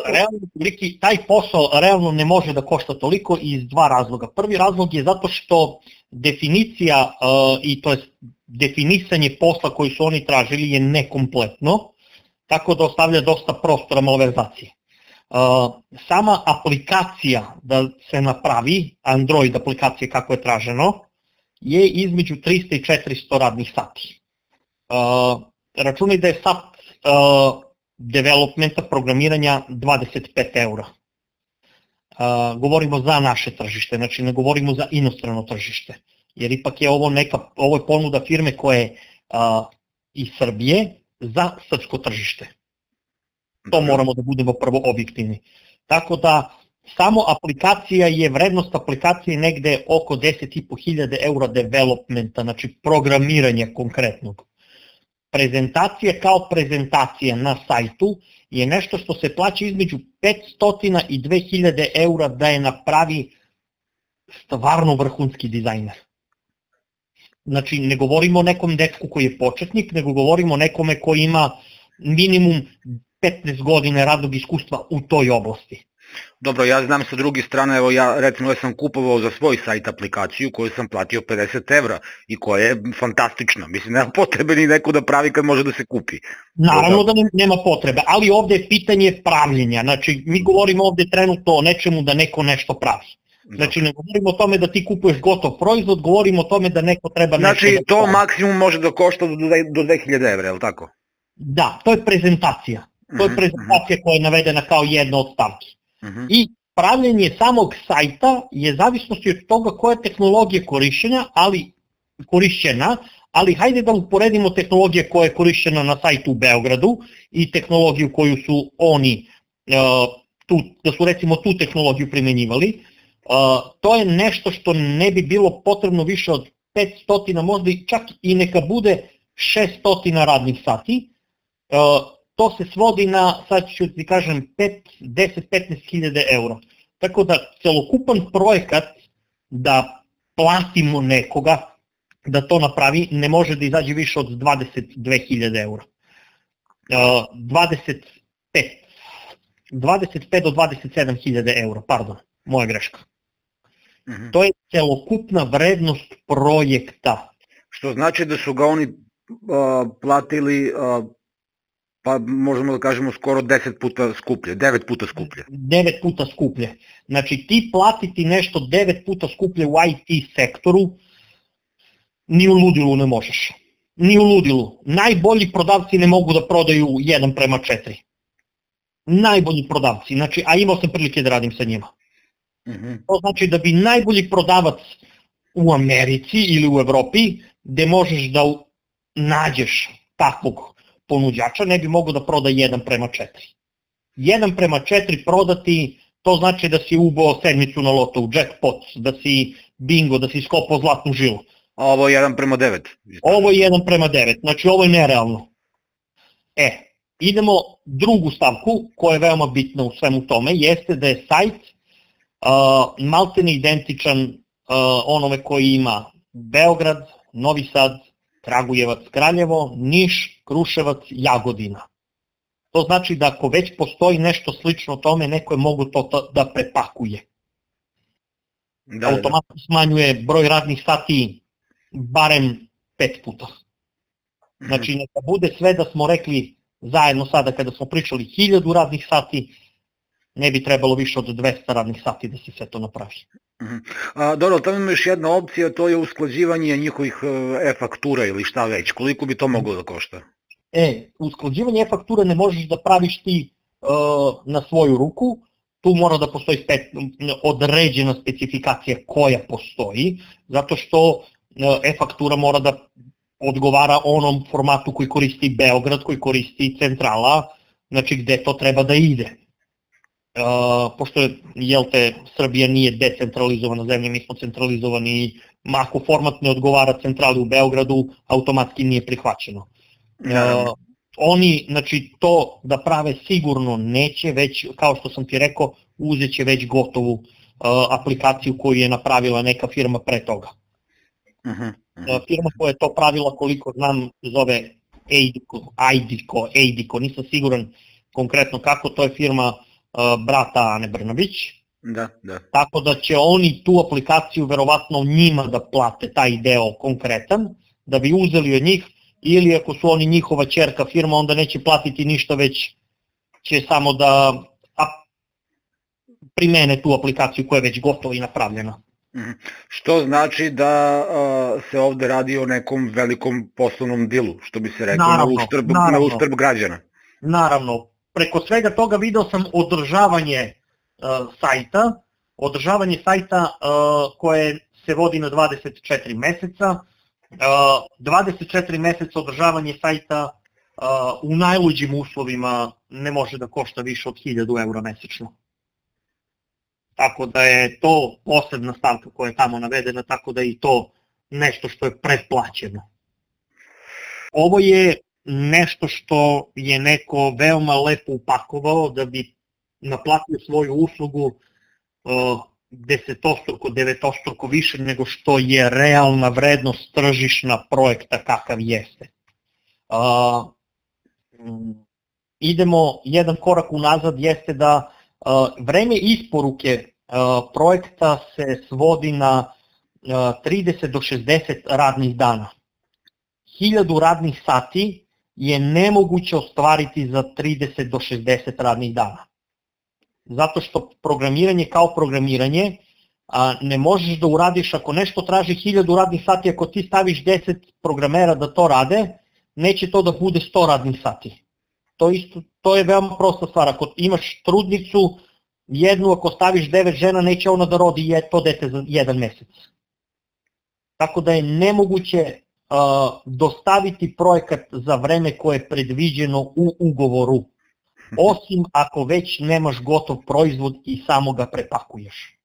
Realno, taj posao realno ne može da košta toliko iz dva razloga. Prvi razlog je zato što definicija i to je definisanje posla koji su oni tražili je nekompletno, tako da ostavlja dosta prostora malverzacije. Sama aplikacija da se napravi, Android aplikacija kako je traženo, je između 300 i 400 radnih sati. Računaj da je sat developmenta, programiranja 25 eura. Govorimo za naše tržište, znači ne govorimo za inostrano tržište, jer ipak je ovo je ponuda firme koja je iz Srbije za srpsko tržište. To moramo da budemo prvo objektivni. Tako da samo aplikacija je, vrednost aplikacije negde oko 10.500 eura developmenta, znači programiranja konkretnog. Prezentacija kao prezentacija na sajtu je nešto što se plaća između 500 i 2000 eura da je napravi stvarno vrhunski dizajner. Znači ne govorimo o nekom dečku koji je početnik, nego govorimo o nekome koji ima minimum 15 godina radnog iskustva u toj oblasti. Dobro, ja znam sa druge strane, evo ja recimo sam kupovao za svoj sajt aplikaciju koju sam platio 50 evra i koja je fantastična. Mislim, nema potrebe ni neko da pravi kad može da se kupi. Naravno da nema potrebe, ali ovde je pitanje pravljenja. Znači, mi govorimo ovde trenutno o nečemu da neko nešto pravi. Znači, ne govorimo o tome da ti kupuješ gotov proizvod, govorimo o tome da neko treba nešto... Znači, to maksimum može da košta do 2000 evra, je li tako? Da, to je prezentacija. To je prezentacija koja je navedena kao jedna od stavki. I pravljenje samog sajta je zavisnosti od toga koja je tehnologija korišćena, ali hajde da uporedimo tehnologije koja je korišćena na sajtu u Beogradu i tehnologiju koju su oni, da su recimo tu tehnologiju primenjivali. To je nešto što ne bi bilo potrebno više od 500, možda čak i neka bude 600 radnih sati. To se svodi na, sad ću ti kažem, 10-15 hiljada eura. Tako da celokupan projekat da platimo nekoga da to napravi ne može da izađe više od 22.000 eura. 25 do 27.000 eura, pardon, moja greška. To je celokupna vrednost projekta. Što znači da su ga oni platili... Pa možemo da kažemo skoro 10 puta skuplje, 9 puta skuplje. 9 puta skuplje. Znači ti platiti nešto 9 puta skuplje u IT sektoru, ni u ludilu ne možeš. Ni u ludilu. Najbolji prodavci ne mogu da prodaju 1:4. Najbolji prodavci, znači, a imao sam prilike da radim sa njima. To znači da bi najbolji prodavac u Americi ili u Evropi, gde možeš da nađeš takvog ponuđača, ne bi mogo da proda 1:4. 1:4 prodati, to znači da si ubao sedmicu na loto u jackpot, da si bingo, da si skopao zlatnu žilu. A ovo je 1:9. Ovo je 1:9, znači ovo je nerealno. Idemo drugu stavku koja je veoma bitna u svemu tome, jeste da je sajt maltene identičan onome koji ima Beograd, Novi Sad, Kragujevac, Kraljevo, Niš, Kruševac, Jagodina. To znači da ako već postoji nešto slično tome, neko je mogu to da prepakuje. Automatno smanjuje broj radnih sati barem 5 puta. Znači neka bude sve da smo rekli zajedno sada kada smo pričali 1000 radnih sati, ne bi trebalo više od 200 radnih sati da se sve to napravi. Dobro, tamo ima još jedna opcija, to je usklađivanje njihovih e-faktura ili šta već, koliko bi to moglo da košta? Usklađivanje e-faktura ne možeš da praviš ti na svoju ruku, tu mora da postoji određena specifikacija koja postoji, zato što e-faktura mora da odgovara onom formatu koji koristi Beograd, koji koristi centrala, znači gde to treba da ide. Pošto Srbija nije decentralizovana zemlja, mi smo centralizovani i ako format ne odgovara centrali u Beogradu, automatski nije prihvaćeno. Oni, znači, to da prave sigurno neće, već, kao što sam ti rekao, uzet će već gotovu aplikaciju koju je napravila neka firma pre toga. Firma koja je to pravila, koliko znam, zove Eidico, nisam siguran konkretno kako, to je firma brata Ane Brnabić. Da. Tako da će oni tu aplikaciju verovatno njima da plate taj deo konkretan, da bi uzeli od njih, ili ako su oni njihova ćerka firma, onda neće platiti ništa, već će samo da primene tu aplikaciju koja je već gotova i napravljena. Što znači da se ovde radi o nekom velikom poslovnom dilu, što bi se rekao, na uštrb građana. Naravno, preko svega toga video sam održavanje sajta koje se vodi na 24 meseca. 24 meseca održavanje sajta u najluđim uslovima ne može da košta više od 1000 € mesečno. Tako da je to posebna stavka koja je tamo navedena, tako da je i to nešto što je pretplaćeno. Ovo je nešto što je neko veoma lepo upakovao da bi naplatio svoju uslugu desetostruko, devetostruko više nego što je realna vrednost tržišna projekta kakav jeste. Idemo jedan korak unazad, jeste da vreme isporuke projekta se svodi na 30 do 60 radnih dana. 1000 radnih sati je nemoguće ostvariti za 30 do 60 radnih dana. Zato što programiranje kao programiranje ne možeš da uradiš, ako nešto traži 1000 radnih sati, ako ti staviš 10 programera da to rade, neće to da bude 100 radnih sati. To je veoma prosta stvar, ako imaš trudnicu, jednu ako staviš 9 žena, neće ona da rodi to dete za 1 mesec. Tako da je nemoguće dostaviti projekat za vreme koje je predviđeno u ugovoru, osim ako već nemaš gotov proizvod i samo ga prepakuješ.